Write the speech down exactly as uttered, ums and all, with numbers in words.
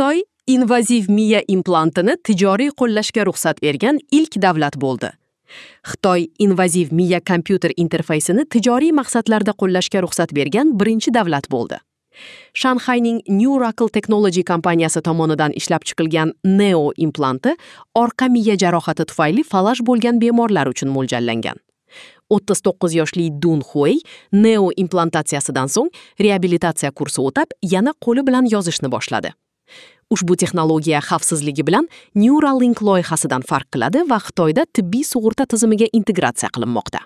Xitoy invaziv miya implantini tijoriy qo'llashga ruxsat bergan ilk davlat bo'ldi. Xitoy invaziv miya kompyuter interfeysini tijoriy maqsadlarda qo'llashga ruxsat bergan birinchi davlat bo'ldi. Shanxayning Neuracle Technology kompaniyasi tomonidan ishlab chiqilgan Neo implanti orqa miya jarohati tufayli falaj bo'lgan bemorlar uchun mo'ljallangan. o'ttiz to'qqiz yoshli Dun Huey Neo implantatsiyasidan so'ng reabilitatsiya kursi o'tab, yana qo'li bilan yozishni boshladi. Ushbu texnologiya xavfsizligi bilan Neuralink loyihasidan farq qiladi va Xitoyda tibbiy sug'urta tizimiga integratsiya qilinmoqda.